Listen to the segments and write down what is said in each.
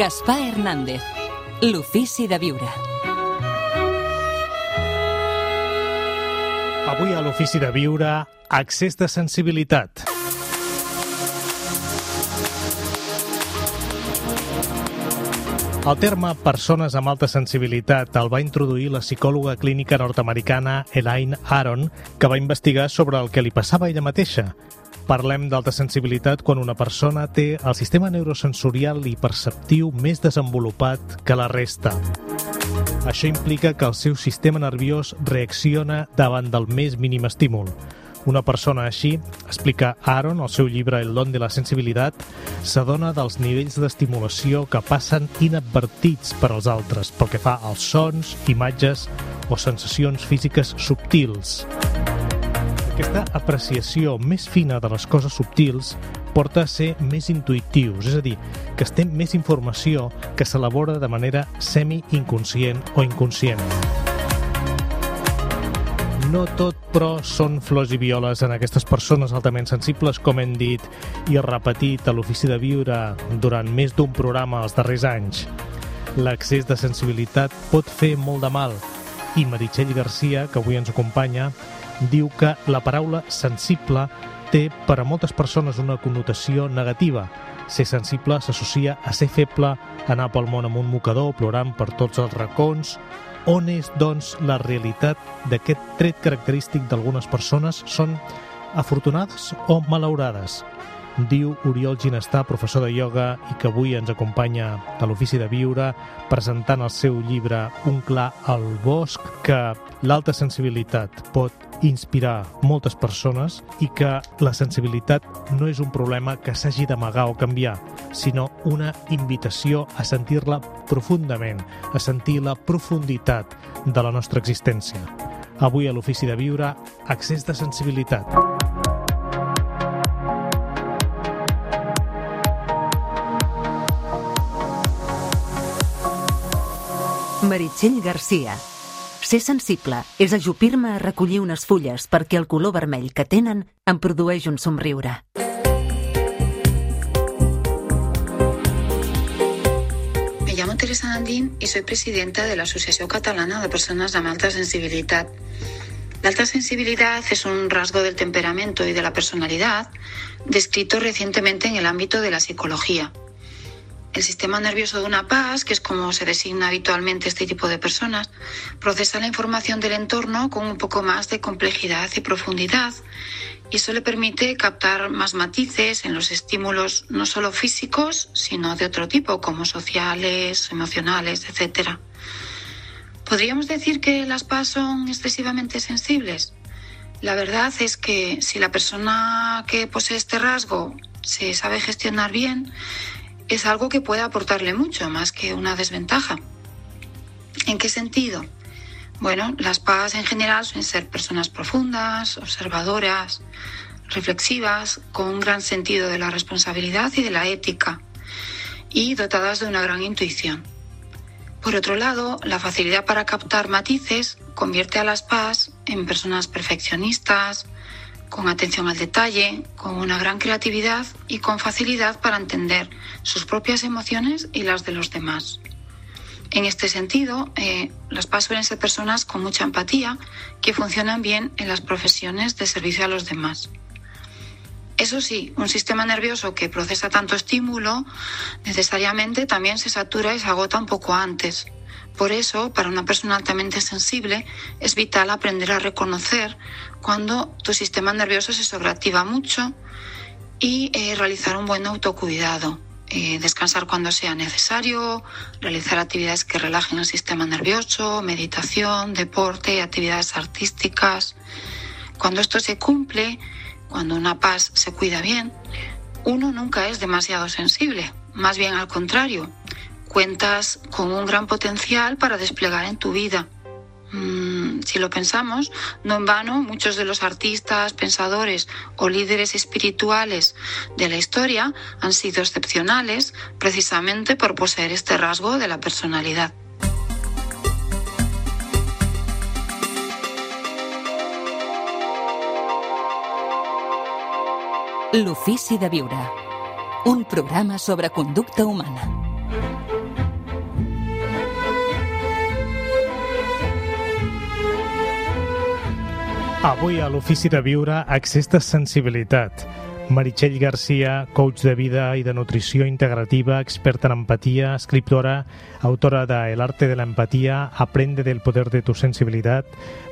Gaspar Hernández, l'ofici de viure. Avui a l'ofici de viure, excés de sensibilitat. El terme persones amb alta sensibilitat el va introduir la psicòloga clínica nord-americana Elaine Aron, que va investigar sobre el que li passava a ella mateixa. Parlem d'alta sensibilitat quan una persona té el sistema neurosensorial i perceptiu més desenvolupat que la resta. Això implica que el seu sistema nerviós reacciona davant del més mínim estímul. Una persona així, explica Aron al seu llibre El don de la sensibilitat, s'adona dels nivells d'estimulació que passen inadvertits per als altres, pel que fa als sons, imatges o sensacions físiques subtils. Aquesta apreciació més fina de les coses subtils porta a ser més intuïtius, és a dir, que es té més informació que s'elabora de manera semi-inconscient o inconscient. No tot, però, són flors i violes en aquestes persones altament sensibles, com hem dit i repetit a l'ofici de viure durant més d'un programa els darrers anys. L'excés de sensibilitat pot fer molt de mal, i Meritxell Garcia, que avui ens acompanya, diu que la paraula sensible té per a moltes persones una connotació negativa. Ser sensible s'associa a ser feble, anar pel món amb un mocador, plorant per tots els racons. On és, doncs, la realitat d'aquest tret característic d'algunes persones? Són afortunades o malaurades? Diu Oriol Ginestà, professor de ioga i que avui ens acompanya a l'ofici de viure, presentant el seu llibre Un clar al bosc, que l'alta sensibilitat pot inspirar moltes persones i que la sensibilitat no és un problema que s'hagi d'amagar o canviar, sinó una invitació a sentir-la profundament, a sentir la profunditat de la nostra existència. Avui a l'ofici de viure, excés de sensibilitat. Meritxell Garcia. Ser sensible és ajupir-me a recollir unes fulles perquè el color vermell que tenen em produeix un somriure. Me llamo Teresa Nandín y soy presidenta de la Asociación Catalana de Personas amb Alta Sensibilidad. La alta sensibilidad es un rasgo del temperamento y de la personalidad descrito recientemente en el ámbito de la psicología. El sistema nervioso de una PAS, que es como se designa habitualmente este tipo de personas, procesa la información del entorno con un poco más de complejidad y profundidad, y eso le permite captar más matices en los estímulos no solo físicos, sino de otro tipo, como sociales, emocionales, etc. ¿Podríamos decir que las PAS son excesivamente sensibles? La verdad es que si la persona que posee este rasgo se sabe gestionar bien, es algo que puede aportarle mucho, más que una desventaja. ¿En qué sentido? Bueno, las PAS en general suelen ser personas profundas, observadoras, reflexivas, con un gran sentido de la responsabilidad y de la ética, y dotadas de una gran intuición. Por otro lado, la facilidad para captar matices convierte a las PAS en personas perfeccionistas, con atención al detalle, con una gran creatividad y con facilidad para entender sus propias emociones y las de los demás. En este sentido, las PAS suelen ser personas con mucha empatía que funcionan bien en las profesiones de servicio a los demás. Eso sí, un sistema nervioso que procesa tanto estímulo necesariamente también se satura y se agota un poco antes. Por eso, para una persona altamente sensible, es vital aprender a reconocer cuando tu sistema nervioso se sobreactiva mucho y realizar un buen autocuidado. Descansar cuando sea necesario, realizar actividades que relajen el sistema nervioso, meditación, deporte, actividades artísticas. Cuando esto se cumple, cuando una PAS se cuida bien, uno nunca es demasiado sensible, más bien al contrario. Cuentas con un gran potencial para desplegar en tu vida. Si lo pensamos, no en vano, muchos de los artistas, pensadores o líderes espirituales de la historia han sido excepcionales precisamente por poseer este rasgo de la personalidad. L'ofici de viure. Un programa sobre conducta humana. Avui a l'Ofici de Viure, accés de sensibilitat. Meritxell Garcia, coach de vida i de nutrició integrativa, experta en empatia, escriptora, autora de El arte de la empatía, aprende del poder de tu sensibilitat.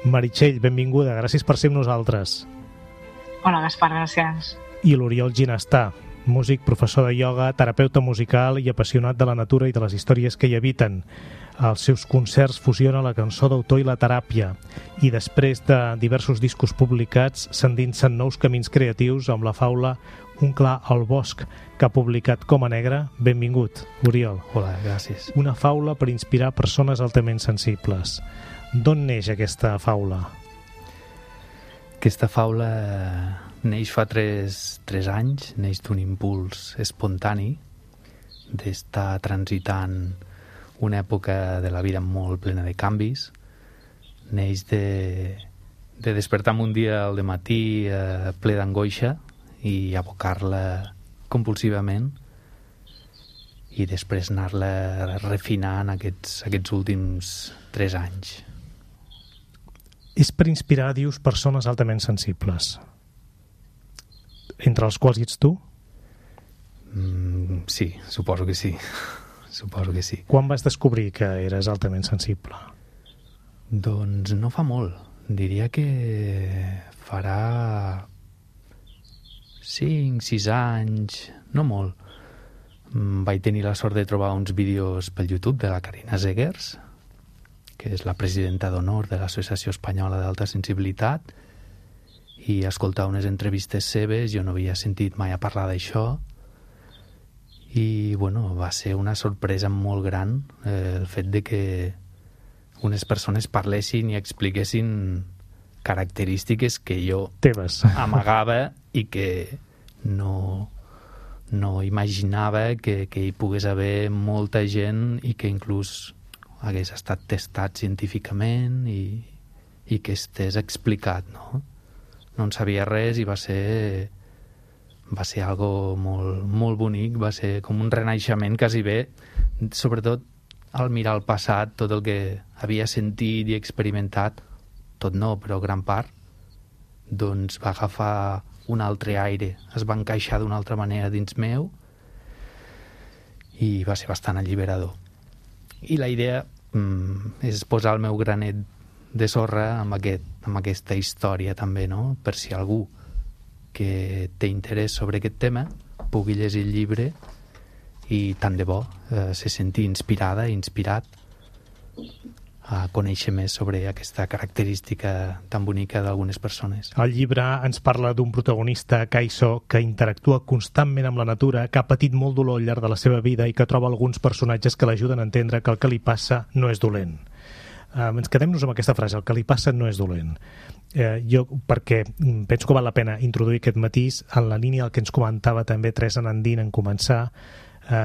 Meritxell, benvinguda, gràcies per ser amb nosaltres. Hola, Gaspar, gràcies. I l'Oriol Ginestà, músic, professor de ioga, terapeuta musical i apassionat de la natura i de les històries que hi habiten. Als seus concerts fusiona la cançó d'autor i la teràpia, i després de diversos discos publicats s'endinsa en nous camins creatius amb la faula Un clar al bosc, que ha publicat Coma Negra. Benvingut, Oriol. Hola, gràcies. Una faula per inspirar persones altament sensibles. D'on neix aquesta faula? Aquesta faula neix fa 3 anys, neix d'un impuls espontani d'estar transitant una època de la vida molt plena de canvis. Neix de despertar-me un dia al dematí ple d'angoixa i abocar-la compulsivament i després anar-la refinant aquests últims 3 anys. És per inspirar, dius, persones altament sensibles, entre els quals hi ets tu? Sí, suposo que sí. Suposo que sí. Quan vas descobrir que eres altament sensible? Doncs no fa molt. Diria que farà 5-6 anys, no molt. Vaig tenir la sort de trobar uns vídeos pel YouTube de la Carina Zegers, que és la presidenta d'honor de l'Associació Espanyola d'Alta Sensibilitat, i escoltar unes entrevistes seves. Jo no havia sentit mai a parlar d'això, i bueno, va ser una sorpresa molt gran el fet de que unes persones parlessin i expliquessin característiques que jo teves amagava i que no imaginava que hi pogués haver molta gent i que inclús hagués estat testat científicament i que estés explicat, no? No en sabia res i va ser algo molt, molt bonic, va ser com un renaixement quasi bé, sobretot al mirar el passat, tot el que havia sentit i experimentat, tot no, però gran part, doncs va agafar un altre aire, es va encaixar d'una altra manera dins meu i va ser bastant alliberador. I la idea és posar el meu granet de sorra amb aquesta història també, no? Per si algú que té interès sobre aquest tema pugui llegir el llibre i tant de bo se senti inspirat a conèixer més sobre aquesta característica tan bonica d'algunes persones. El llibre ens parla d'un protagonista, Kaiso, que interactua constantment amb la natura, que ha patit molt dolor al llarg de la seva vida i que troba alguns personatges que l'ajuden a entendre que el que li passa no és dolent. Ens quedem-nos amb aquesta frase, el que li passa no és dolent. Jo, perquè penso que val la pena introduir aquest matís en la línia del que ens comentava també Teresa Nandín en començar.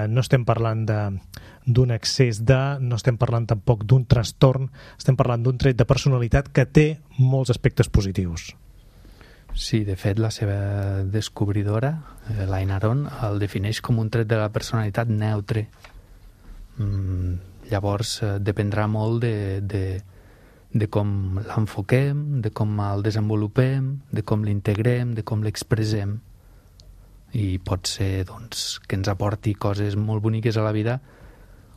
No estem parlant d'un excés no estem parlant tampoc d'un trastorn, estem parlant d'un tret de personalitat que té molts aspectes positius. Sí, de fet, la seva descobridora, l'Aina Aron, el defineix com un tret de la personalitat neutre. Llavors dependrà molt de com l'enfoquem, de com el desenvolupem, de com l'integrem, de com l'expressem. I pot ser doncs, que ens aporti coses molt boniques a la vida,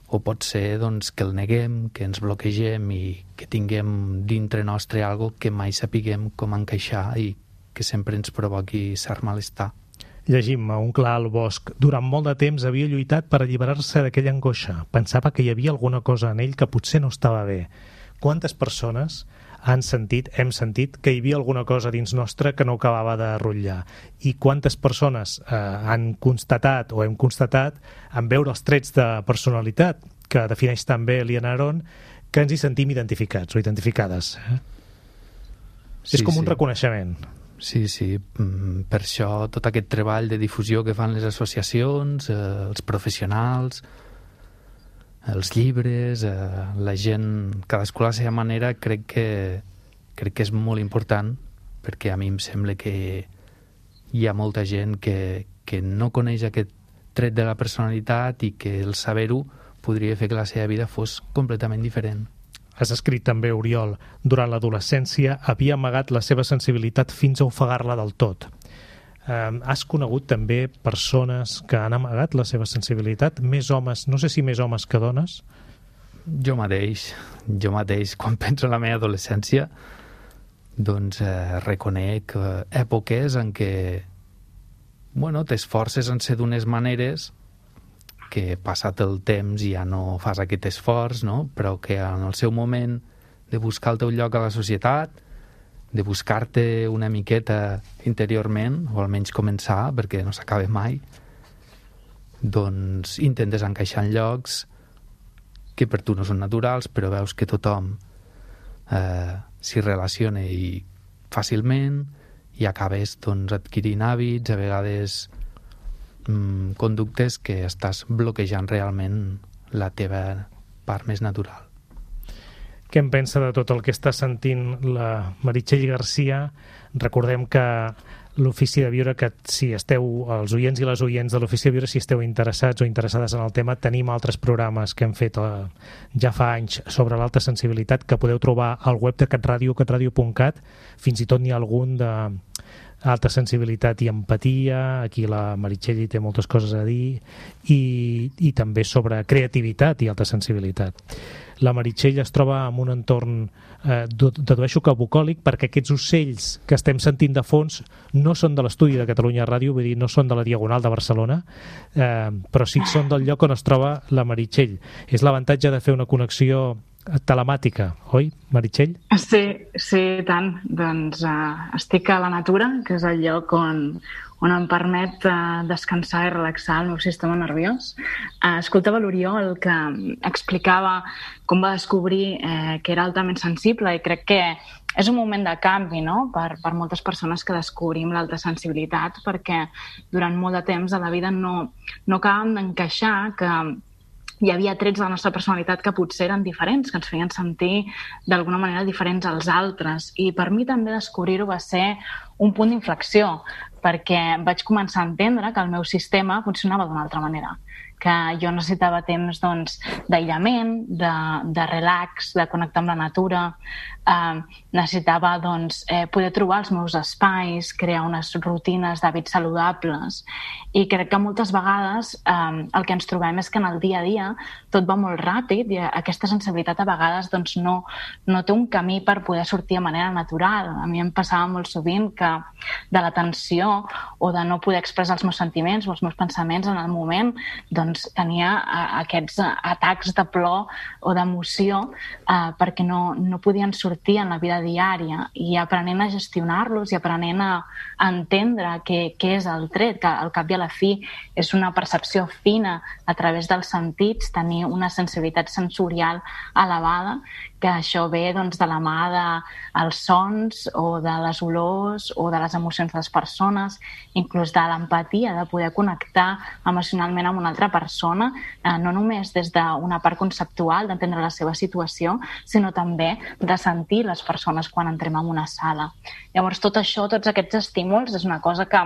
o pot ser doncs, que el neguem, que ens bloquegem i que tinguem dintre nostre algo que mai sapiguem com encaixar i que sempre ens provoqui cert malestar. Llegim a Un clar al bosc. Durant molt de temps havia lluitat per alliberar-se d'aquella angoixa. Pensava que hi havia alguna cosa en ell que potser no estava bé. Quantes persones hem sentit que hi havia alguna cosa dins nostre que no acabava de rotllar? I quantes persones han constatat o hem constatat en veure els trets de personalitat que defineix també l'Aina Aron, que ens hi sentim identificats o identificades? Sí, és com un reconeixement. Sí, sí. Per això tot aquest treball de difusió que fan les associacions, els professionals, els llibres, la gent, cadascú a la seva manera, crec que és molt important, perquè a mi em sembla que hi ha molta gent que no coneix aquest tret de la personalitat i que el saber-ho podria fer que la seva vida fos completament diferent. has escrit també, Oriol, durant l'adolescència havia amagat la seva sensibilitat fins a ofegar-la del tot. Has conegut també persones que han amagat la seva sensibilitat? Més homes, no sé si més homes que dones? Jo mateix, quan penso en la meva adolescència, doncs reconec èpoques en què t'esforces en ser d'unes maneres que passat el temps ja no fas aquest esforç, no? Però que en el seu moment de buscar el teu lloc a la societat, de buscar-te una miqueta interiorment, o almenys començar, perquè no s'acaba mai, doncs intentes encaixar en llocs que per tu no són naturals, però veus que tothom s'hi relaciona i fàcilment, i acabes doncs, adquirint hàbits, a vegades conductes que estàs bloquejant realment la teva part més natural. Què en pensa de tot el que està sentint la Meritxell Garcia? Recordem que l'Ofici de Viure, que si esteu, els oients i les oients de l'Ofici de Viure, si esteu interessats o interessades en el tema, tenim altres programes que hem fet ja fa anys sobre l'alta sensibilitat que podeu trobar al web de CatRadio, catradio.cat. Fins i tot n'hi ha algun de alta sensibilitat i empatia, aquí la Meritxell hi té moltes coses a dir, i també sobre creativitat i alta sensibilitat. La Meritxell es troba en un entorn, dedueixo que bucòlic, perquè aquests ocells que estem sentint de fons no són de l'estudi de Catalunya Ràdio, vull dir, no són de la Diagonal de Barcelona, però sí que són del lloc on es troba la Meritxell. És l'avantatge de fer una connexió telemàtica, oi, Meritxell? Sí, tant. Doncs estic a la natura, que és el lloc on em permet descansar i relaxar el meu sistema nerviós. Escoltava l'Oriol que explicava com va descobrir que era altament sensible, i crec que és un moment de canvi, no?, per moltes persones que descobrim l'alta sensibilitat, perquè durant molt de temps de la vida no acabàvem d'encaixar que hi havia trets de la nostra personalitat que potser eren diferents, que ens feien sentir d'alguna manera diferents als altres. I per mi també descobrir-ho va ser un punt d'inflexió, perquè vaig començar a entendre que el meu sistema funcionava d'una altra manera, que jo necessitava temps d'aïllament, de relax, de connectar amb la natura, necessitava poder trobar els meus espais, crear unes rutines d'hàbits saludables, i crec que moltes vegades el que ens trobem és que en el dia a dia tot va molt ràpid i aquesta sensibilitat a vegades no té un camí per poder sortir de manera natural. A mi em passava molt sovint que de la tensió o de no poder expressar els meus sentiments o els meus pensaments en el moment, tenia aquests atacs de plor o d'emoció perquè no podien sortir en la vida diària, i aprenent a gestionar-los i aprenent a entendre què és el tret, que al cap i a la fi és una percepció fina a través dels sentits, tenir una sensibilitat sensorial elevada, que això ve de la mà dels sons o de les olors o de les emocions de les persones, inclús de l'empatia, de poder connectar emocionalment amb una altra persona, no només des d'una part conceptual, d'entendre la seva situació, sinó també de sentir les persones quan entrem en una sala. Llavors, tot això, tots aquests estímuls, és una cosa que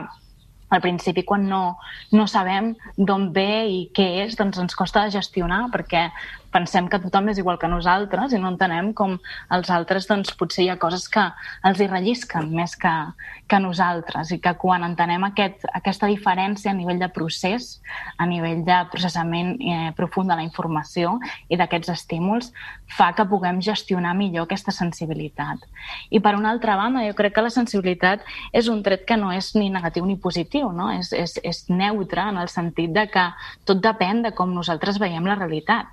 al principi, quan no sabem d'on ve i què és, ens costa de gestionar, perquè pensem que tothom és igual que nosaltres i no entenem com els altres potser hi ha coses que els hi rellisquen més que nosaltres, i que quan entenem aquesta diferència a nivell de procés, a nivell de processament profund de la informació i d'aquests estímuls, fa que puguem gestionar millor aquesta sensibilitat. I per una altra banda, jo crec que la sensibilitat és un tret que no és ni negatiu ni positiu, no? És neutre en el sentit de que tot depèn de com nosaltres veiem la realitat.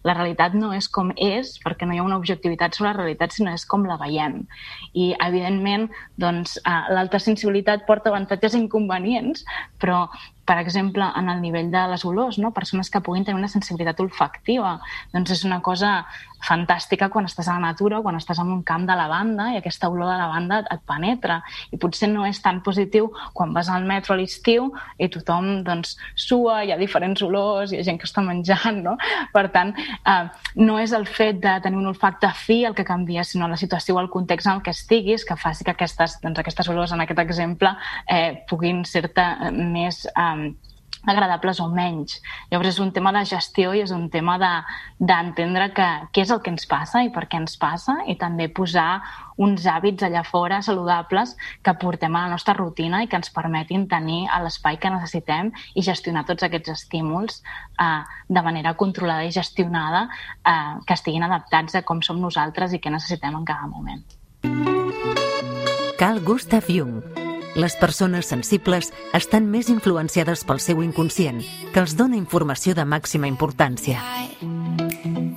La realitat no és com és, perquè no hi ha una objectivitat sobre la realitat, sinó és com la veiem. I, evidentment, l'alta sensibilitat porta avantatges i inconvenients, però, per exemple, en el nivell de les olors, persones que puguin tenir una sensibilitat olfactiva, és una cosa fantàstica quan estàs a la natura o quan estàs en un camp de lavanda i aquesta olor de lavanda et penetra. I potser no és tan positiu quan vas al metro a l'estiu i tothom sua, hi ha diferents olors, hi ha gent que està menjant, no? Per tant, no és el fet de tenir un olfacte fi el que canvia, sinó la situació o el context en el que estiguis, que faci que aquestes olors, en aquest exemple, puguin ser-te més agradables o menys. Llavors és un tema de gestió i és un tema d'entendre què és el que ens passa i per què ens passa, i també posar uns hàbits allà fora saludables que portem a la nostra rutina i que ens permetin tenir l'espai que necessitem i gestionar tots aquests estímuls de manera controlada i gestionada, que estiguin adaptats a com som nosaltres i què necessitem en cada moment. Carl Gustav Jung. Les persones sensibles estan més influenciades pel seu inconscient, que els dona informació de màxima importància.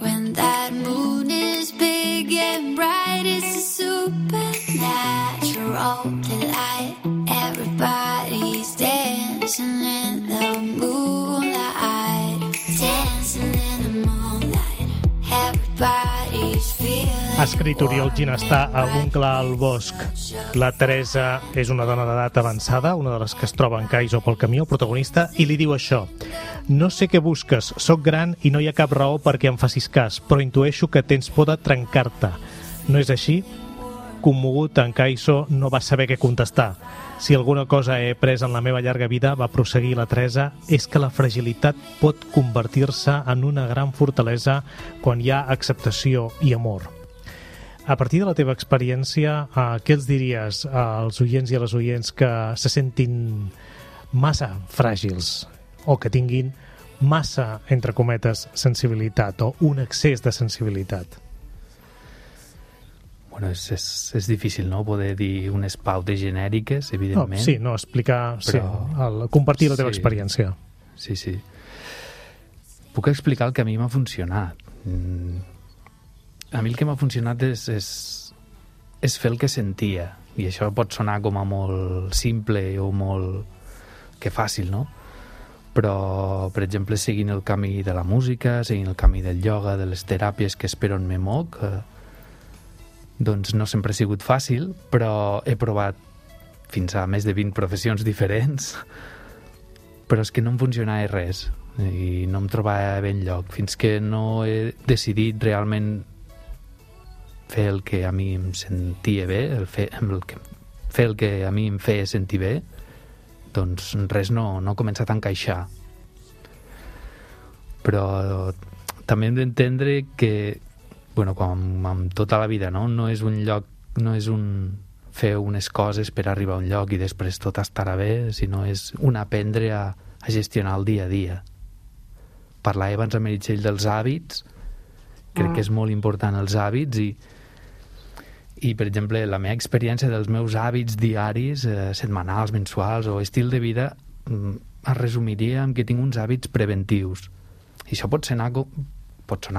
When that moon is big and bright, it's a supernatural delight. Everybody's dancing in the moonlight, dancing in the moonlight. Everybody's feeling. Ha escrit Oriol Ginestà a Un clar al bosc. La Teresa és una dona d'edat avançada, una de les que es troba en Kaiso pel camí, el protagonista, i li diu això: no sé què busques, sóc gran i no hi ha cap raó perquè em facis cas, però intueixo que tens por de trencar-te. No és així? Commogut, en Kaiso no va saber què contestar. Si alguna cosa he après en la meva llarga vida, va prosseguir la Teresa, és que la fragilitat pot convertir-se en una gran fortalesa quan hi ha acceptació i amor. A partir de la teva experiència, què els diries als oients i a les oients que se sentin massa fràgils o que tinguin massa, entre cometes, sensibilitat o un excés de sensibilitat? Bueno, és difícil, no?, poder dir unes pautes genèriques, evidentment. Explicar, compartir la teva experiència. Sí. Puc explicar el que a mi m'ha funcionat. A mi el que m'ha funcionat és fer el que sentia, i això pot sonar com a molt simple o molt que fàcil, no? Però, per exemple, seguint el camí de la música, seguint el camí del ioga, de les teràpies que és per on me moc, doncs no sempre ha sigut fàcil, però he provat fins a més de 20 professions diferents, però és que no em funcionava res i no em trobava bé enlloc fins que no he decidit realment fer el que a mi em sentia bé, fer el que a mi em feia sentir bé, doncs res no ha començat a encaixar. Però també hem d'entendre que, bueno, com amb tota la vida, no és un lloc, no és un fer unes coses per arribar a un lloc i després tot estarà bé, sinó és un aprendre a gestionar el dia a dia. Parlava abans a Meritxell dels hàbits, crec que és molt important els hàbits, i per exemple, la meva experiència dels meus hàbits diaris, setmanals, mensuals o estil de vida, es resumiria en que tinc uns hàbits preventius. I això pot sonar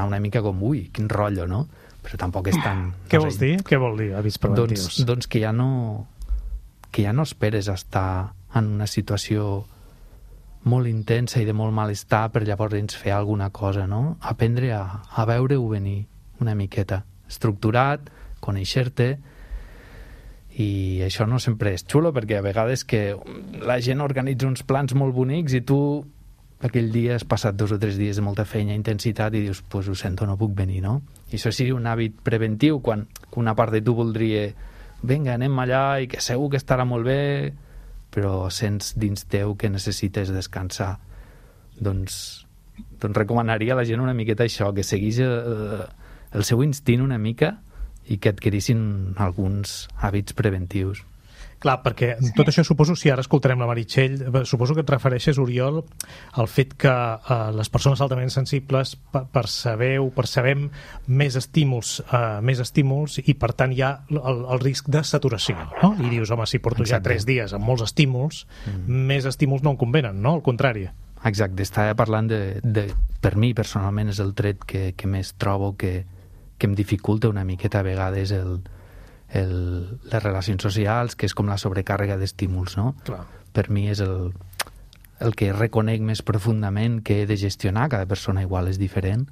una mica com, ui, quin rotllo, no? Però tampoc és tan... Què vols dir? Què vol dir, hàbits preventius? Doncs que ja no esperes estar en una situació molt intensa i de molt malestar per llavors fer alguna cosa, no? Aprendre a veure-ho venir una miqueta, estructurat, conèixer-te, i això no sempre és xulo, perquè a vegades que la gent organitza uns plans molt bonics i tu aquell dia has passat 2 o 3 dies de molta feina, intensitat, i dius, pues ho sento, no puc venir, no? I això seria un hàbit preventiu, quan una part de tu voldria, vinga, anem allà i que segur que estarà molt bé, però sents dins teu que necessites descansar. Doncs recomanaria a la gent una miqueta això, que seguís el seu instint una mica i que adquirissin alguns hàbits preventius. Clar, perquè tot això suposo, si ara escoltarem la Meritxell, suposo que et refereixes, Oriol, al fet que les persones altament sensibles percebem més estímuls i per tant hi ha el risc de saturació, no? I dius, home, si porto ja 3 dies amb molts estímuls, més estímuls no em convenen, no? Al contrari. Exacte, estava parlant per mi personalment és el tret que més trobo que em dificulta una miqueta a vegades les relacions socials, que és com la sobrecàrrega d'estímuls, no? Clar. Per mi és el que reconec més profundament que he de gestionar. Cada persona igual és diferent,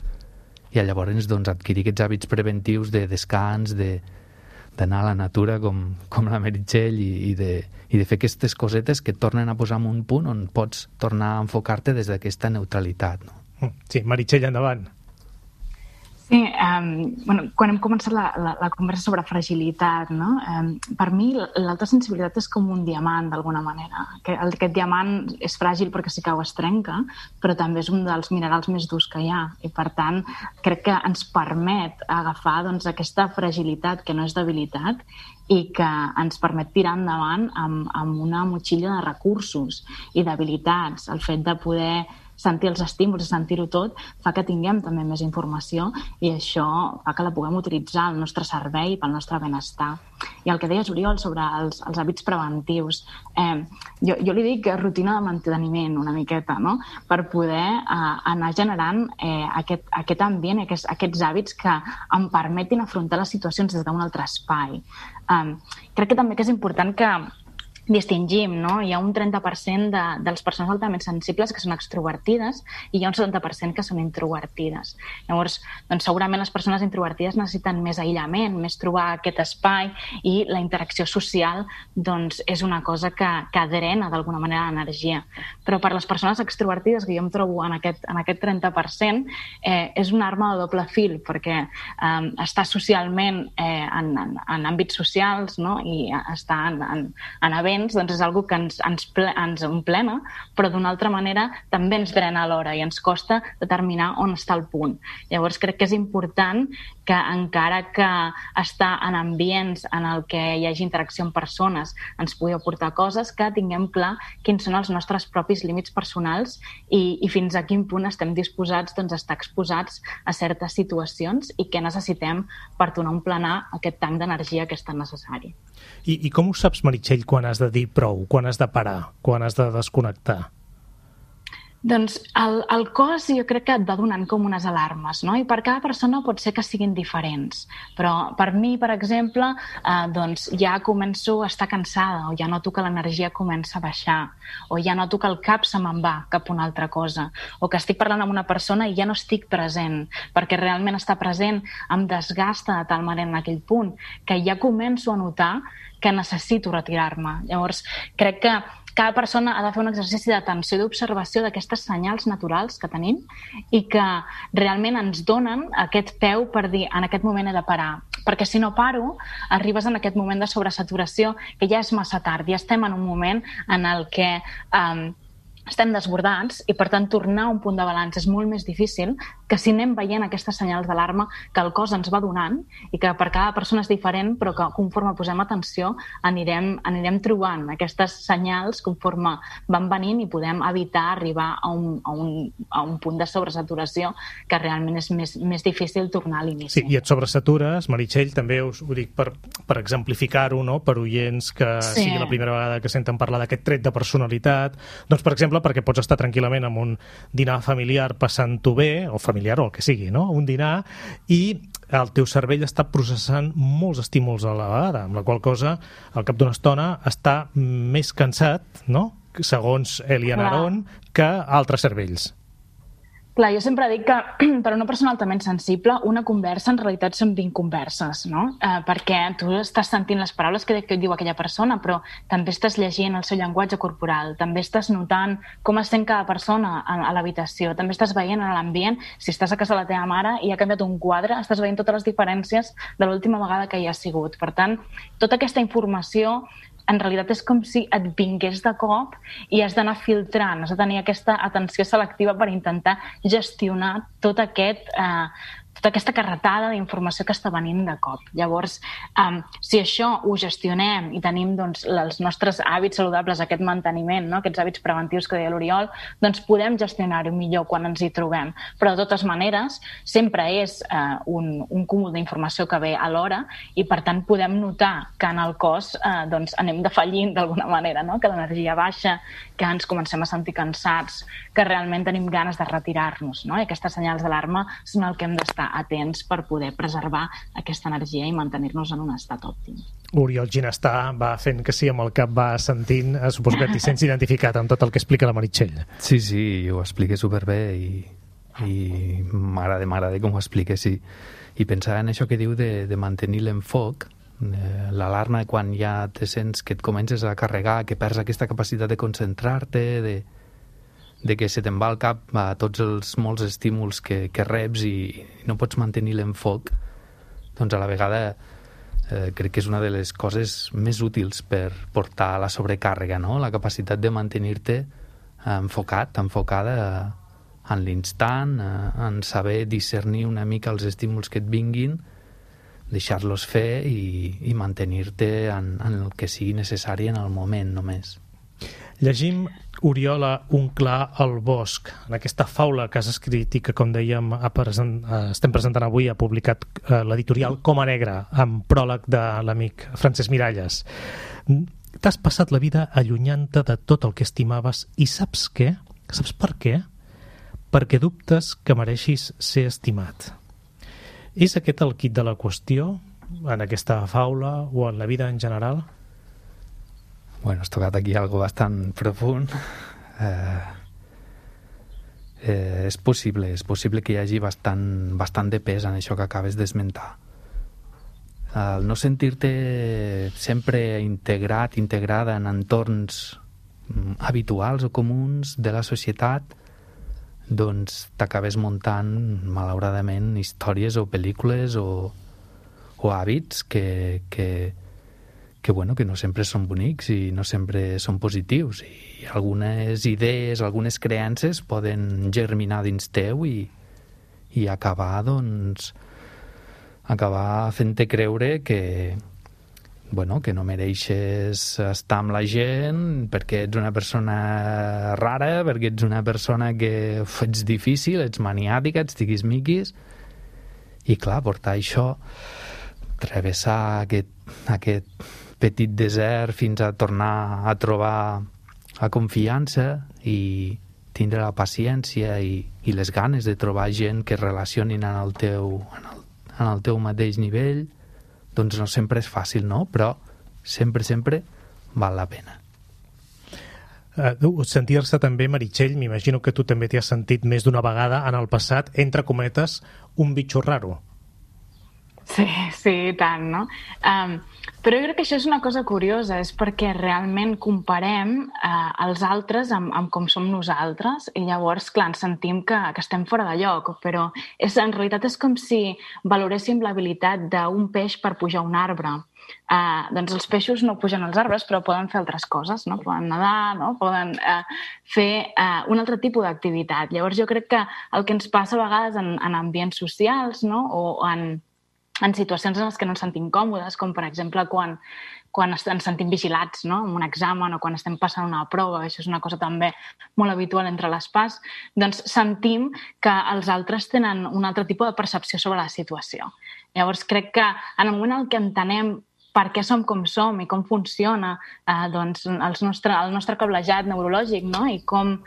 i llavors doncs, adquirir aquests hàbits preventius de descans, d'anar a la natura com la Meritxell i de fer aquestes cosetes que et tornen a posar en un punt on pots tornar a enfocar-te des d'aquesta neutralitat, no? Sí, Meritxell, endavant. Sí, quan hem començat la conversa sobre fragilitat, no? Per mi l'alta sensibilitat és com un diamant, d'alguna manera. Aquest diamant és fràgil perquè si cau es trenca, però també és un dels minerals més durs que hi ha. I, per tant, crec que ens permet agafar aquesta fragilitat, que no és debilitat, i que ens permet tirar endavant amb una motxilla de recursos i d'habilitats. El fet de poder sentir els estímuls i sentir-ho tot fa que tinguem també més informació i això fa que la puguem utilitzar al nostre servei pel nostre benestar. I el que deies, Oriol, sobre els hàbits preventius, jo li dic rutina de manteniment una miqueta, no? Per poder anar generant aquest ambient, aquests hàbits que em permetin afrontar les situacions des d'un altre espai. Crec que també és important que distingim, no? Hi ha un 30% de les persones altament sensibles que són extrovertides i hi ha un 70% que són introvertides. Llavors, doncs, segurament les persones introvertides necessiten més aïllament, més trobar aquest espai i la interacció social doncs, és una cosa que drena d'alguna manera l'energia. Però per les persones extrovertides, que jo em trobo en aquest 30%, és una arma de doble fil, perquè estar socialment en àmbits socials, no? I estar en events doncs és una que ens emplena, però d'una altra manera també ens drena alhora i ens costa determinar on està el punt. Llavors crec que és important que encara que estar en ambients en el que hi hagi interacció amb persones ens pugui aportar coses, que tinguem clar quins són els nostres propis límits personals i fins a quin punt estem disposats doncs, a estar exposats a certes situacions i què necessitem per tornar a emplenar aquest tanc d'energia que és tan necessari. I com ho saps, Meritxell, quan has de dir prou, quan has de parar, quan has de desconnectar? Doncs el cos jo crec que et va donant com unes alarmes, no? I per cada persona pot ser que siguin diferents. Però per mi, per exemple, doncs ja començo a estar cansada o ja noto que l'energia comença a baixar o ja noto que el cap se me'n va cap a una altra cosa o que estic parlant amb una persona i ja no estic present perquè realment estar present em desgasta de tal manera en aquell punt que ja començo a notar que necessito retirar-me. Llavors, crec que cada persona ha de fer un exercici d'atenció i d'observació d'aquestes senyals naturals que tenim i que realment ens donen aquest peu per dir en aquest moment he de parar. Perquè si no paro, arribes en aquest moment de sobresaturació que ja és massa tard, ja estem en un moment en el que estem desbordats i, per tant, tornar a un punt de balanç és molt més difícil que si anem veient aquestes senyals d'alarma que el cos ens va donant i que per cada persona és diferent, però que conforme posem atenció anirem trobant aquestes senyals conforme van venint i podem evitar arribar a un punt de sobresaturació que realment és més difícil tornar a l'inici. Sí, i et sobresatures, Meritxell, també us ho dic per exemplificar-ho, no? Per oients que sigui la primera vegada que senten parlar d'aquest tret de personalitat, doncs, per exemple, perquè pots estar tranquil·lament en un dinar familiar passant-ho bé, o familiar o el que sigui, no? Un dinar, i el teu cervell està processant molts estímuls a la vegada, amb la qual cosa, al cap d'una estona, està més cansat, no?, segons Elian Aron, que altres cervells. Clar, jo sempre dic que per una persona altament sensible una conversa en realitat són 20 converses, no? Perquè tu estàs sentint les paraules que diu aquella persona, però també estàs llegint el seu llenguatge corporal, també estàs notant com es sent cada persona a l'habitació, també estàs veient en l'ambient, si estàs a casa de la teva mare i ha canviat un quadre, estàs veient totes les diferències de l'última vegada que hi ha sigut. Per tant, tota aquesta informació en realitat és com si et vingués de cop i has d'anar filtrant, has de tenir aquesta atenció selectiva per intentar gestionar tota aquesta carretada d'informació que està venint de cop. Llavors, si això ho gestionem i tenim doncs, els nostres hàbits saludables, aquest manteniment, no? Aquests hàbits preventius que deia l'Oriol, doncs podem gestionar-ho millor quan ens hi trobem. Però de totes maneres, sempre és un cúmul d'informació que ve alhora i per tant podem notar que en el cos doncs, anem defallint d'alguna manera, no? Que l'energia baixa, que ens comencem a sentir cansats, que realment tenim ganes de retirar-nos, no? I aquestes senyals d'alarma són el que hem d'estar atents per poder preservar aquesta energia i mantenir-nos en un estat òptim. Oriol Ginestar va fent que sí amb el cap, va sentint, suposo que t'hi sents identificat amb tot el que explica la Meritxell. Sí, ho explica superbé i m'agrada com ho expliques i pensar en això que diu de mantenir l'enfoc, l'alarma quan ja te sents que et comences a carregar, que perds aquesta capacitat de concentrar-te, de que se te'n va al cap a tots els molts estímuls que reps i no pots mantenir l'enfoc, doncs a la vegada crec que és una de les coses més útils per portar la sobrecàrrega, no? La capacitat de mantenir-te enfocada en l'instant, en saber discernir una mica els estímuls que et vinguin, deixar-los fer i mantenir-te en el que sigui necessari en el moment només. Llegim Oriola, un clar al bosc, en aquesta faula que has escrit i que, com dèiem, estem presentant avui, ha publicat l'editorial Coma Negra, amb pròleg de l'amic Francesc Miralles. T'has passat la vida allunyant-te de tot el que estimaves i saps què? Saps per què? Perquè dubtes que mereixis ser estimat. És aquest el quid de la qüestió, en aquesta faula o en la vida en general? Bueno, has tocat aquí algo bastant profund. És possible que hi hagi bastant de pes en això que acabes d'esmentar. El no sentir-te sempre integrada en entorns habituals o comuns de la societat, doncs t'acabes muntant, malauradament, històries o pel·lícules o hàbits que no sempre són bonics i no sempre són positius, i algunes idees, algunes creences poden germinar dins teu i acabar fent-te creure que no mereixes estar amb la gent perquè ets una persona rara, perquè ets una persona que ets difícil, ets maniàtica, ets tiquismiquis, i clar, portar això, travessar aquest petit desert fins a tornar a trobar la confiança i tindre la paciència i les ganes de trobar gent que es relacionin en el teu mateix nivell, doncs no sempre és fàcil, no? Però sempre val la pena. Sentir-se també, Meritxell, m'imagino que tu també t'hi has sentit més d'una vegada en el passat, entre cometes, un bitxo raro. Sí, tant, no? Però jo crec que això és una cosa curiosa, és perquè realment comparem els altres amb com som nosaltres, i llavors, clar, ens sentim que estem fora de lloc, però en realitat és com si valoréssim l'habilitat d'un peix per pujar a un arbre. Doncs els peixos no pugen als arbres, però poden fer altres coses, no? Poden nedar, no? Poden fer un altre tipus d'activitat. Llavors jo crec que el que ens passa a vegades en ambients socials, no? O en situacions en les que no ens sentim còmodes, com per exemple quan ens sentim vigilats, no? En un examen o quan estem passant una prova, això és una cosa també molt habitual entre les PAs, doncs sentim que els altres tenen un altre tipus de percepció sobre la situació. Llavors crec que en el moment en què entenem per què som com som i com funciona doncs, el nostre cablejat neurològic, no? I com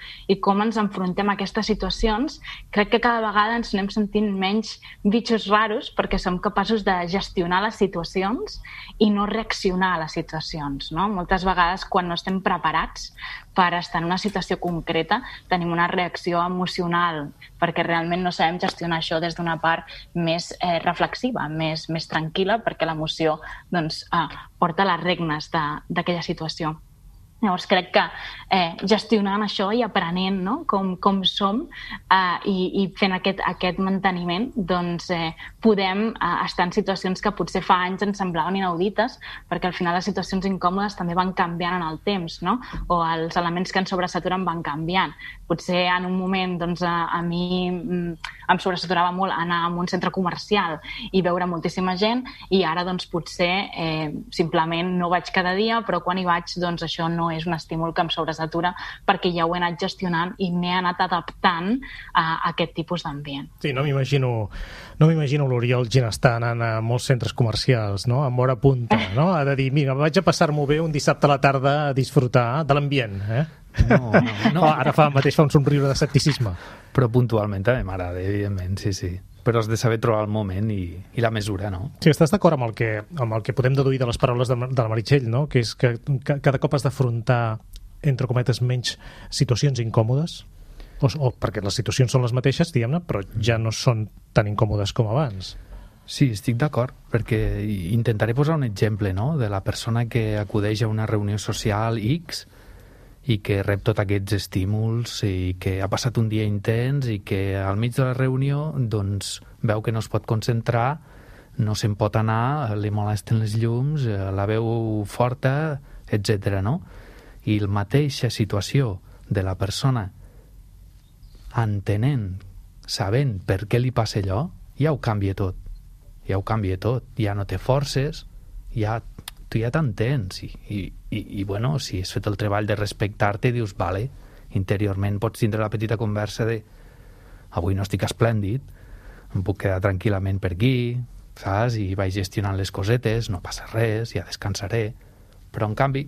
ens enfrontem a aquestes situacions, crec que cada vegada ens anem sentint menys bitxos raros perquè som capaços de gestionar les situacions i no reaccionar a les situacions, no? Moltes vegades, quan no estem preparats per estar en una situació concreta, tenim una reacció emocional perquè realment no sabem gestionar això des d'una part més reflexiva, més tranquil·la, perquè l'emoció doncs, porta les regnes d'aquella situació. Llavors crec que gestionant això i aprenent, no? com som i fent aquest manteniment, doncs podem estar en situacions que potser fa anys ens semblaven inaudites, perquè al final les situacions incòmodes també van canviant en el temps, no? O els elements que ens sobresaturen van canviant. Potser en un moment doncs, a mi em sobresaturava molt anar a un centre comercial i veure moltíssima gent, i ara doncs, potser simplement no vaig cada dia, però quan hi vaig doncs, això no és un estímul que em sobresatura perquè ja ho he anat gestionant i m'he anat adaptant a aquest tipus d'ambient. Sí, no m'imagino l'Oriol Ginestar anant a molts centres comercials, no? Amb hora punta, no? Ha de dir, mira, vaig a passar-m'ho bé un dissabte a la tarda a disfrutar de l'ambient, No. Ara mateix fa un somriure d'escepticisme. Però puntualment també m'agrada, evidentment, sí. Però has de saber trobar el moment i la mesura, no? Sí, estàs d'acord amb el que podem deduir de les paraules de la Meritxell, no? Que és que cada cop has d'afrontar, entre cometes, menys situacions incòmodes? O perquè les situacions són les mateixes, diguem-ne, però ja no són tan incòmodes com abans. Sí, estic d'acord, perquè intentaré posar un exemple, no?, de la persona que acudeix a una reunió social X i que rep tots aquests estímuls i que ha passat un dia intens i que al mig de la reunió doncs, veu que no es pot concentrar, no se'n pot anar, li molesten les llums, la veu forta, etc. no? I la mateixa situació de la persona entenent, sabent per què li passa allò, ja ho canvia tot. Ja ho canvia tot. Ja no té forces, tu ja t'entens. I bueno, si has fet el treball de respectar-te, dius, vale, interiorment pots tindre la petita conversa de avui no estic esplèndid, em puc quedar tranquil·lament per aquí, saps? I vaig gestionant les cosetes, no passa res, ja descansaré. Però, en canvi,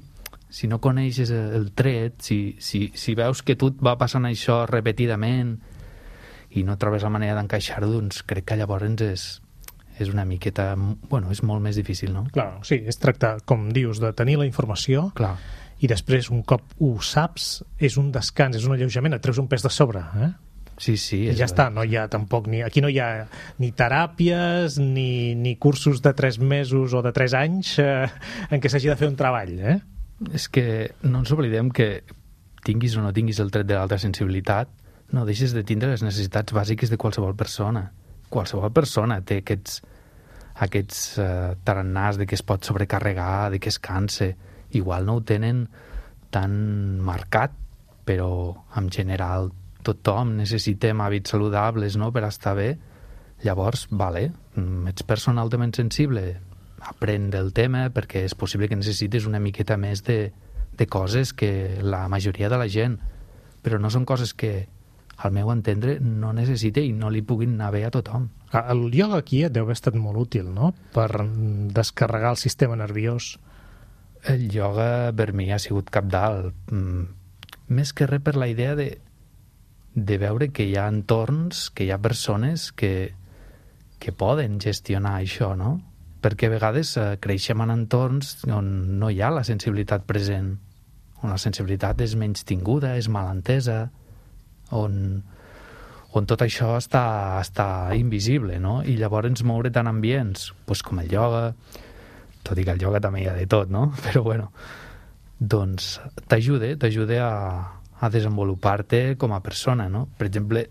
si no coneixes el tret, si veus que tu et va passant això repetidament i no trobes la manera d'encaixar-ho, doncs crec que llavors és una miqueta... Bueno, és molt més difícil, no? Clar, sí, és tractar, com dius, de tenir la informació. Clar. I després, un cop ho saps, és un descans, és un alleujament, et treus un pes de sobre, Sí. I ja està, no hi ha tampoc aquí no hi ha ni teràpies ni cursos de 3 mesos o de 3 anys en què s'hagi de fer un treball, És que no ens oblidem que tinguis o no tinguis el tret de l'alta sensibilitat, no deixes de tindre les necessitats bàsiques de qualsevol persona. Qualsevol persona té aquests tarannàs de que es pot sobrecarregar, de que es canse. Igual no ho tenen tan marcat, però en general tothom necessitem hàbits saludables, no?, per estar bé. Llavors, vale, ets persona altament sensible, aprèn del tema, perquè és possible que necessites una miqueta més de coses que la majoria de la gent, però no són coses que, al meu entendre, no necessita i no li puguin anar bé a tothom. El ioga aquí et deu haver estat molt útil, no?, per descarregar el sistema nerviós. El ioga per mi ha sigut cabdal, més que res per la idea de veure que hi ha entorns, que hi ha persones que poden gestionar això, no? Perquè a vegades creixem en entorns on no hi ha la sensibilitat present, on la sensibilitat és menys tinguda, és mal entesa, on tot això està invisible, no? I llavors moure tant ambients, com el ioga, tot i que el ioga també hi ha de tot, no? Però bueno, doncs t'ajuda a desenvolupar-te com a persona, no? Per exemple,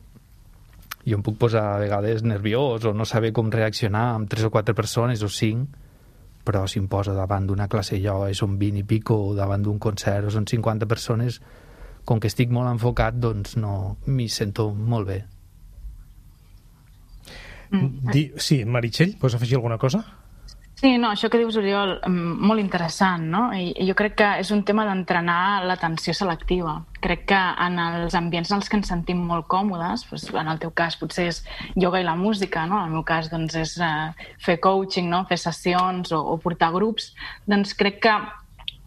jo em puc posar a vegades nerviós o no saber com reaccionar amb 3 o 4 persones o 5, però si em poso davant d'una classe de ioga i són 20 i pico, o davant d'un concert o són 50 persones, com que estic molt enfocat, doncs no m'hi sento molt bé. Sí, Meritxell, vols afegir alguna cosa? Sí, no, això que dius, Oriol, molt interessant, no? I jo crec que és un tema d'entrenar l'atenció selectiva. Crec que en els ambients en els que ens sentim molt còmodes, doncs, en el teu cas potser és ioga i la música, no? En el meu cas doncs, és fer coaching, no? Fer sessions o portar grups, doncs crec que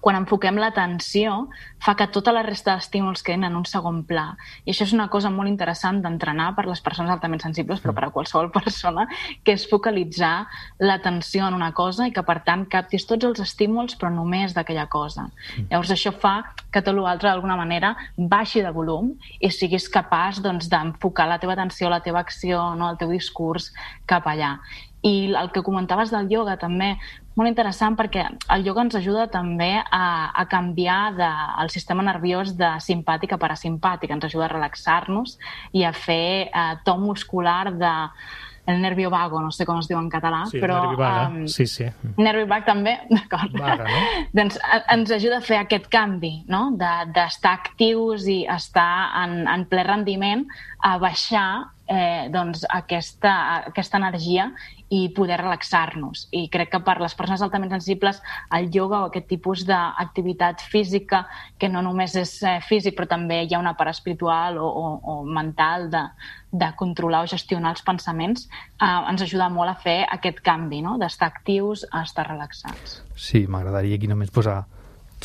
quan enfoquem l'atenció fa que tota la resta d'estímuls quedin en un segon pla. I això és una cosa molt interessant d'entrenar per les persones altament sensibles, però per a qualsevol persona, que és focalitzar l'atenció en una cosa i que, per tant, captis tots els estímuls, però només d'aquella cosa. Llavors, això fa que tot l'altre, d'alguna manera, baixi de volum i siguis capaç d'enfocar la teva atenció, la teva acció, no, el teu discurs cap allà. I el que comentaves del ioga també, molt interessant perquè el ioga ens ajuda també a canviar el sistema nerviós de simpàtic a parasimpàtic, ens ajuda a relaxar-nos i a fer to muscular el nervio vago, no sé com es diu en català, sí, però... nervi vaga, sí. Nervi vague també, d'acord. Vaga, no? Doncs ens ajuda a fer aquest canvi, no?, d'estar actius i estar en ple rendiment, a baixar aquesta energia i poder relaxar-nos. I crec que per les persones altament sensibles el ioga o aquest tipus d'activitat física, que no només és físic, però també hi ha una part espiritual o mental de controlar o gestionar els pensaments, ens ajuda molt a fer aquest canvi, no?, d'estar actius a estar relaxats. Sí, m'agradaria aquí només posar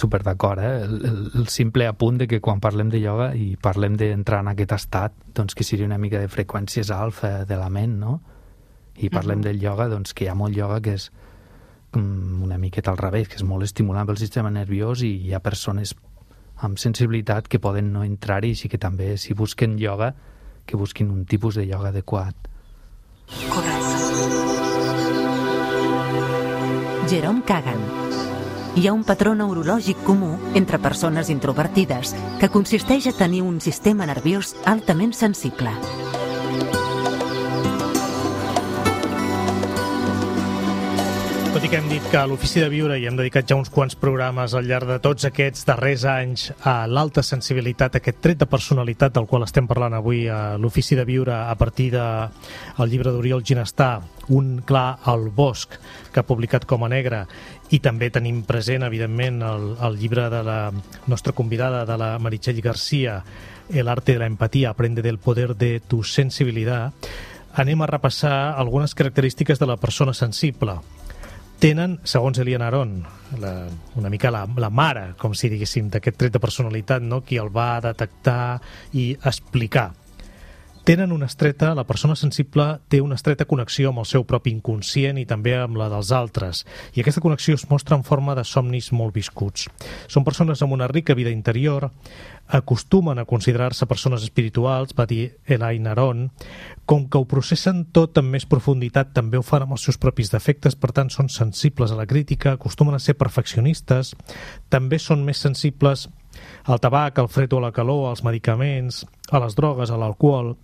super d'acord, el simple apunt de que quan parlem de ioga i parlem d'entrar en aquest estat, doncs que sigui una mica de freqüències alfa de la ment, no? I parlem del ioga, doncs que hi ha molt ioga que és una miqueta al revés, que és molt estimulant pel sistema nerviós i hi ha persones amb sensibilitat que poden no entrar-hi, així que també si busquen ioga, que busquin un tipus de ioga adequat. Correcte. Jerome Kagan. Hi ha un patró neurològic comú entre persones introvertides que consisteix a tenir un sistema nerviós altament sensible. Tot i que hem dit que a l'Ofici de Viure hi hem dedicat ja uns quants programes al llarg de tots aquests darrers anys a l'alta sensibilitat, aquest tret de personalitat del qual estem parlant avui a l'Ofici de Viure a partir del llibre d'Oriol Ginestà, Un clar al bosc, que ha publicat Com a Negre, i també tenim present, evidentment, el llibre de la nostra convidada, de la Meritxell García, El arte de la empatía, aprende del poder de tu sensibilidad. Anem a repassar algunes característiques de la persona sensible. Tenen, segons Eliana Aron, una mica la mare, com si diguéssim, d'aquest tret de personalitat, no? Qui el va detectar i explicar. La persona sensible té una estreta connexió amb el seu propi inconscient i també amb la dels altres, i aquesta connexió es mostra en forma de somnis molt viscuts. Són persones amb una rica vida interior, acostumen a considerar-se persones espirituals, va dir Eliana Aron. Com que ho processen tot amb més profunditat, també ho fan amb els seus propis defectes, per tant són sensibles a la crítica, acostumen a ser perfeccionistes, també són més sensibles al tabac, al fred o a la calor, als medicaments, a les drogues, a l'alcohol.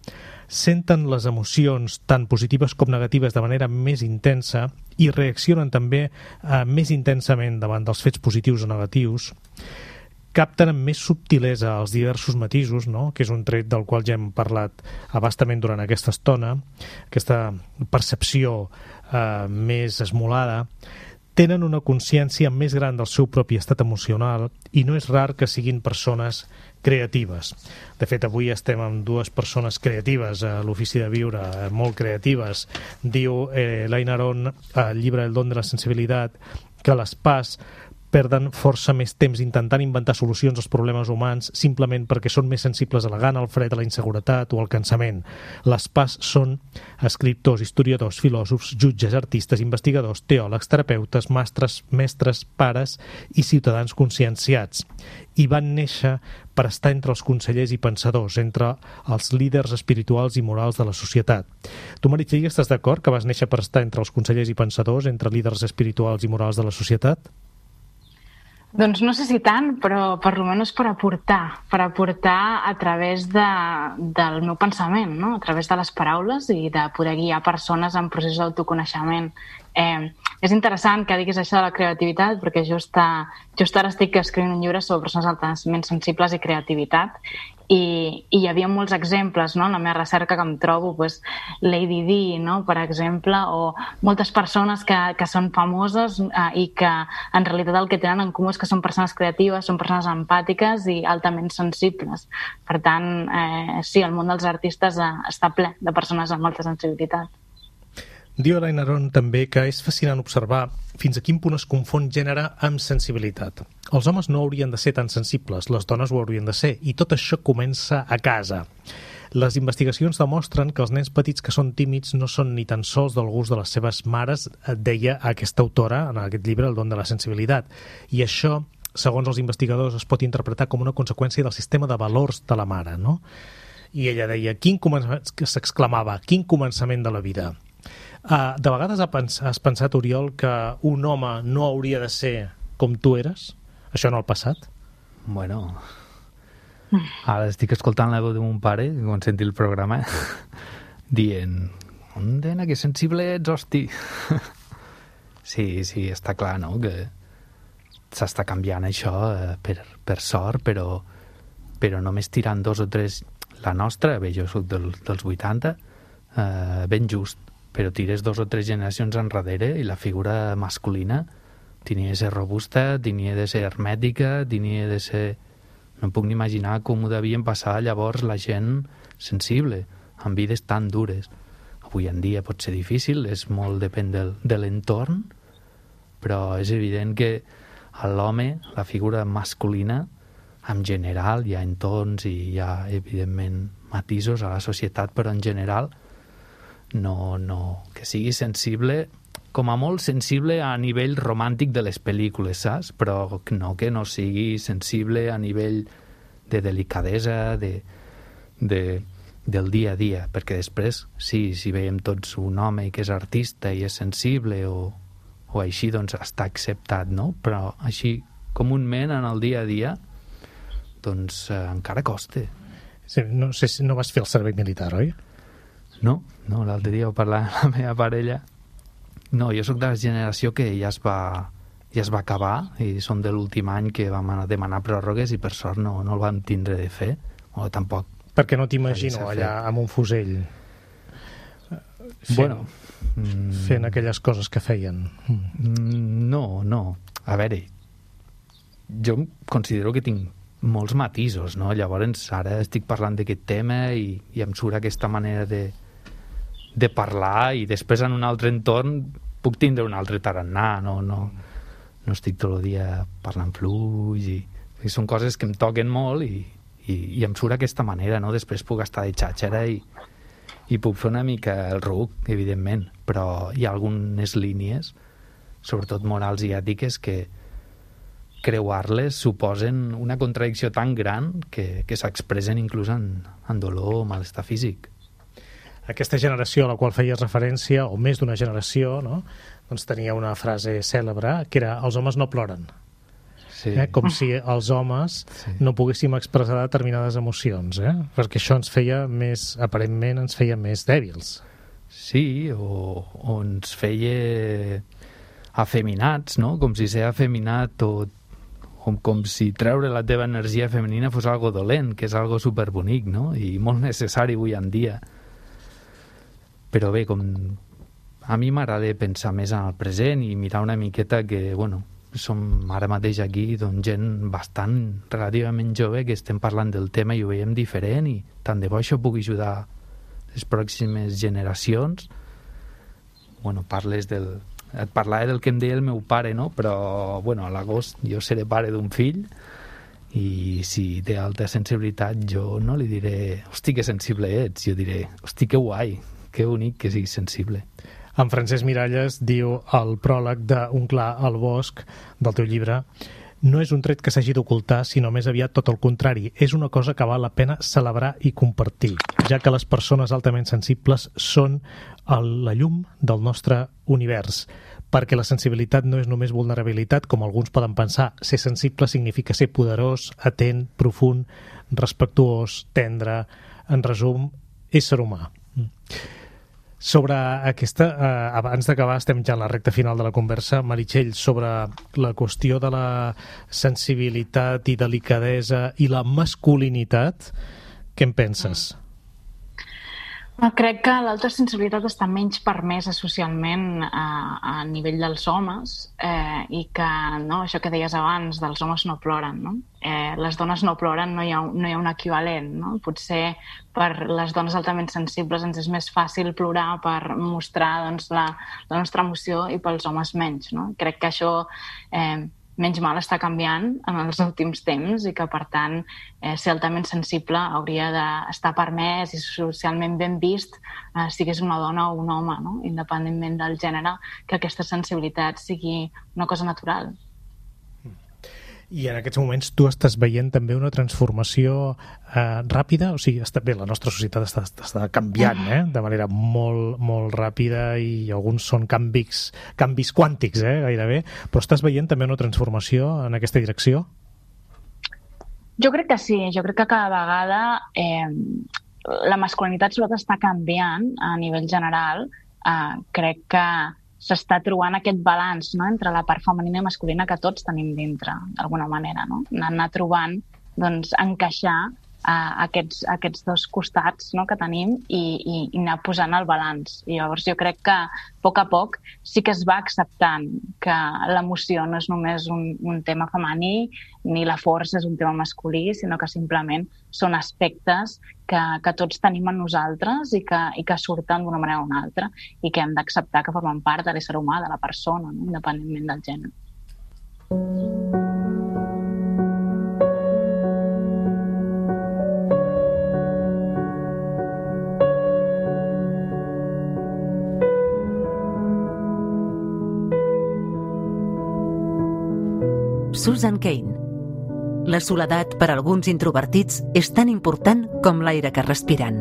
Senten les emocions tant positives com negatives de manera més intensa i reaccionen també més intensament davant dels fets positius o negatius. Capten amb més subtilesa els diversos matisos, no? Que és un tret del qual ja hem parlat abastament durant aquesta estona, aquesta percepció més esmolada. Tenen una consciència més gran del seu propi estat emocional i no és rar que siguin persones creatives. De fet, avui estem amb dues persones creatives a l'Ofici de Viure, molt creatives. Diu Eliana Aron al llibre El don de la sensibilitat que les PAs perden força més temps intentant inventar solucions als problemes humans simplement perquè són més sensibles a la gana, al fred, a la inseguretat o al cansament. Les PAs són escriptors, historiadors, filòsofs, jutges, artistes, investigadors, teòlegs, terapeutes, mestres, pares i ciutadans conscienciats. I van néixer per estar entre els consellers i pensadors, entre els líders espirituals i morals de la societat. Tu, Meritxell, estàs d'acord que vas néixer per estar entre els consellers i pensadors, entre líders espirituals i morals de la societat? Doncs no sé si tant, però per almenys per aportar a través del meu pensament, no? A través de les paraules i de poder guiar persones en procés d'autoconeixement. És interessant que diguis això de la creativitat, perquè just ara estic escrivint un llibre sobre persones altament sensibles i creativitat, i hi havia molts exemples, no? En la meva recerca que em trobo, doncs, Lady Di, no? Per exemple, o moltes persones que són famoses i que en realitat el que tenen en comú és que són persones creatives, són persones empàtiques i altament sensibles. Per tant, sí, el món dels artistes està ple de persones amb molta sensibilitat. Diu Eliana Aron també que és fascinant observar fins a quin punt es confon gènere amb sensibilitat. Els homes no haurien de ser tan sensibles, les dones ho haurien de ser, i tot això comença a casa. Les investigacions demostren que els nens petits que són tímids no són ni tan sols del gust de les seves mares, deia aquesta autora en aquest llibre, El don de la sensibilitat. I això, segons els investigadors, es pot interpretar com una conseqüència del sistema de valors de la mare, no? I ella deia, s'exclamava, quin començament de la vida. De vegades has pensat, Oriol, que un home no hauria de ser com tu eres? Això en el passat? Bueno, ara estic escoltant la veu de mon pare, quan senti el programa, dient, nena, que sensible ets, hosti. Sí, està clar, no?, que s'està canviant això per sort, però només tirant 2 o 3... La nostra, bé, jo soc dels 80, ben just, però tires 2 o 3 generacions enrere i la figura masculina tenia de ser robusta, tenia de ser hermètica, tenia de ser... No em puc ni imaginar com ho devien passar llavors la gent sensible, amb vides tan dures. Avui en dia pot ser difícil, molt depèn de l'entorn, però és evident que a l'home, la figura masculina, en general, hi ha entorns i hi ha, evidentment, matisos a la societat, però en general no, que sigui sensible, com a molt sensible a nivell romàntic de les pel·lícules, saps? Però que no sigui sensible a nivell de delicadesa, del dia a dia, perquè després, sí, si veiem tots un home que és artista i és sensible o o així, doncs està acceptat, no? Però així, comúment, en el dia a dia, doncs encara costa. Sí, no sé si no vas fer el servei militar, oi? No, l'altre dia ho parlava amb la meva parella. No, jo sóc de la generació que ja es va acabar i som de l'últim any que vam anar a demanar pròrrogues i per sort no el vam tindre de fer, o tampoc. Perquè no t'imagino allà amb un fusell fent aquelles coses que feien. No. A veure, jo considero que tinc molts matisos, no? Llavors ara estic parlant d'aquest tema i em surt aquesta manera de parlar i després en un altre entorn puc tindre un altre tarannà, no estic tot el dia parlant fluix i són coses que em toquen molt i em surt aquesta manera, no? Després puc estar de xàxera i puc fer una mica el ruc, evidentment, però hi ha algunes línies, sobretot morals i ètiques, que creuar-les suposen una contradicció tan gran que s'expressen inclús en dolor o malestar físic. Aquesta generació a la qual feies referència, o més d'una generació, no? Doncs tenia una frase cèlebre que era els homes no ploren. Sí. Com si els homes no poguéssim expressar determinades emocions, perquè això ens feia aparentment ens feia més dèbils. Sí, o ens feia afeminats, no? Com si ser afeminat com si treure la teva energia femenina fos algo dolent, que és algo superbonic, no? I molt necessari avui en dia. Però bé, a mi m'agrada pensar més en el present i mirar una miqueta que, som ara mateix aquí gent bastant relativament jove que estem parlant del tema i ho veiem diferent i tant de bo això pugui ajudar les pròximes generacions. Et parlava del que em deia el meu pare, no? Però a l'agost jo seré pare d'un fill i si té alta sensibilitat jo no li diré hosti que sensible ets, jo diré hosti que guai, que bonic que siguis sensible. En Francesc Miralles diu al pròleg d'Un clar al bosc del teu llibre: no és un tret que s'hagi d'ocultar, sinó més aviat tot el contrari. És una cosa que val la pena celebrar i compartir, ja que les persones altament sensibles són la llum del nostre univers. Perquè la sensibilitat no és només vulnerabilitat, com alguns poden pensar. Ser sensible significa ser poderós, atent, profund, respectuós, tendre, en resum, ésser humà. Sobre aquesta, abans d'acabar, estem ja en la recta final de la conversa, Meritxell, sobre la qüestió de la sensibilitat i delicadesa i la masculinitat, què en penses? Crec que l'alta sensibilitat està menys permesa socialment a nivell dels homes i que això que deies abans dels homes no ploren, no? Les dones no ploren, no hi ha un equivalent, no? Potser per les dones altament sensibles ens és més fàcil plorar per mostrar la nostra emoció i pels homes menys, no? Crec que això menys mal està canviant en els últims temps i que, per tant, ser altament sensible hauria d'estar permès i socialment ben vist, sigués una dona o un home, no? Independentment del gènere, que aquesta sensibilitat sigui una cosa natural. I en aquests moments tu estàs veient també una transformació ràpida, o sigui, la nostra societat està canviant de manera molt, molt ràpida i alguns són canvis quàntics gairebé, però estàs veient també una transformació en aquesta direcció? Jo crec que sí, jo crec que cada vegada la masculinitat sobretot està canviant a nivell general. Crec que s'està trobant aquest balanç, no?, entre la part femenina i masculina que tots tenim dintre, d'alguna manera, no? Anar trobant, encaixar aquests dos costats, no?, que tenim i anar posant el balanç. I llavors jo crec que a poc sí que es va acceptant que l'emoció no és només un tema femení ni la força és un tema masculí, sinó que simplement són aspectes que tots tenim en nosaltres i que surten d'una manera o una altra i que hem d'acceptar que formen part de l'ésser humà, de la persona, no?, independentment del gènere. Susan Cain. La soledat per a alguns introvertits és tan important com l'aire que respiren.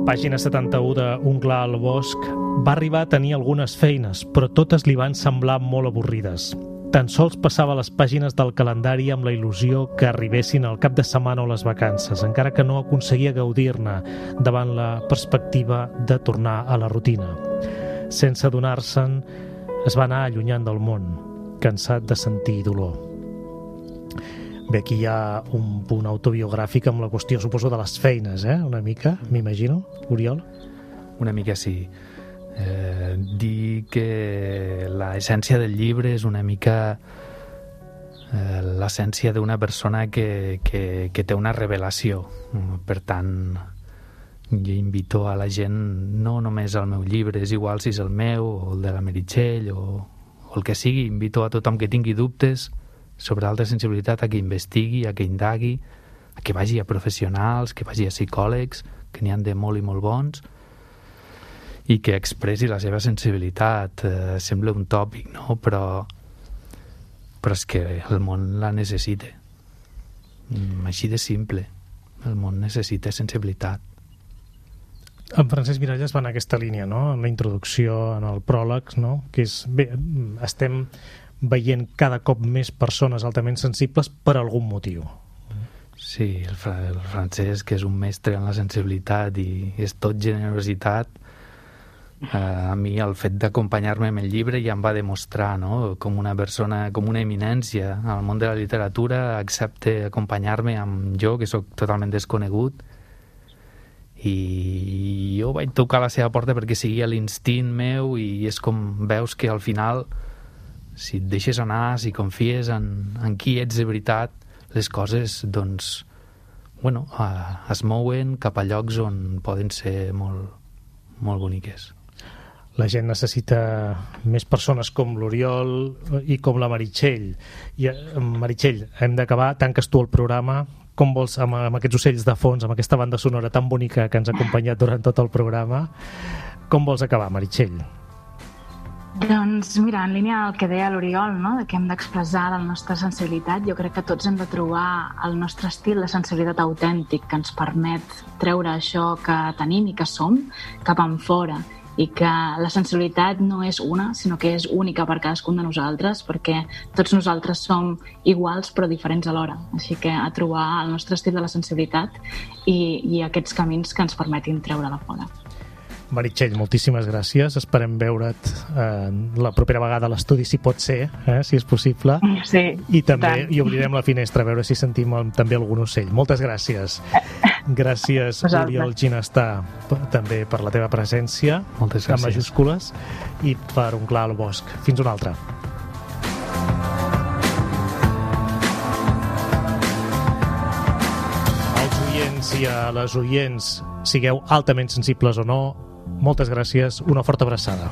Pàgina 71 de Un clar al bosc va arribar a tenir algunes feines, però totes li van semblar molt avorrides. Tan sols passava les pàgines del calendari amb la il·lusió que arribessin el cap de setmana o les vacances, encara que no aconseguia gaudir-ne davant la perspectiva de tornar a la rutina. Sense adonar-se'n, es va anar allunyant del món, cansat de sentir dolor. Bé, aquí hi ha un punt autobiogràfic amb la qüestió, suposo, de les feines, una mica, m'imagino, Oriol? Una mica sí. Dir que l'essència del llibre és una mica l'essència d'una persona que té una revelació. Per tant, jo invito a la gent, no només al meu llibre, és igual si és el meu o el de la Meritxell o el que sigui, invito a tothom que tingui dubtes sobre alta sensibilitat a que investigui, a que indagui, a que vagi a professionals, que vagi a psicòlegs, que n'hi han de molt i molt bons, i que expressi la seva sensibilitat. Sembla un tòpic, no? Però és que el món la necessita. Així de simple. El món necessita sensibilitat. En Francesc Miralles va en aquesta línia, no? En la introducció, en el pròleg, no? Que és, bé, estem veient cada cop més persones altament sensibles per algun motiu. Sí, el Francesc, que és un mestre en la sensibilitat i és tot generositat, a mi el fet d'acompanyar-me amb el llibre ja em va demostrar, no? Com una persona, com una eminència al món de la literatura, accepta acompanyar-me amb jo, que sóc totalment desconegut, i jo vaig tocar la seva porta perquè seguia l'instint meu, i és com veus que al final, si et deixes anar, si confies en qui ets de veritat, les coses, doncs, bueno, es mouen cap a llocs on poden ser molt, molt boniques. La gent necessita més persones com l'Oriol i com la Meritxell. I, Meritxell, hem d'acabar, tanques tu el programa. Com vols, amb aquests ocells de fons, amb aquesta banda sonora tan bonica que ens ha acompanyat durant tot el programa, com vols acabar, Meritxell? Doncs mira, en línia del que deia l'Oriol, no? De que hem d'expressar la nostra sensibilitat, jo crec que tots hem de trobar el nostre estil de sensibilitat autèntic que ens permet treure això que tenim i que som cap enfora, i que la sensibilitat no és una, sinó que és única per cadascun de nosaltres, perquè tots nosaltres som iguals però diferents alhora. Així que a trobar el nostre estil de la sensibilitat i aquests camins que ens permetin treure-la fora. Meritxell, moltíssimes gràcies. Esperem veure't la propera vegada a l'estudi, si pot ser, si és possible. Sí, i també hi obrirem la finestra a veure si sentim també algun ocell. Moltes gràcies. Gràcies, Oriol Ginestà, també per la teva presència. Moltes gràcies. En majúscules, i per Un clar al bosc. Fins una altra. Als oients i a les oients, sigueu altament sensibles o no, moltes gràcies, una forta abraçada.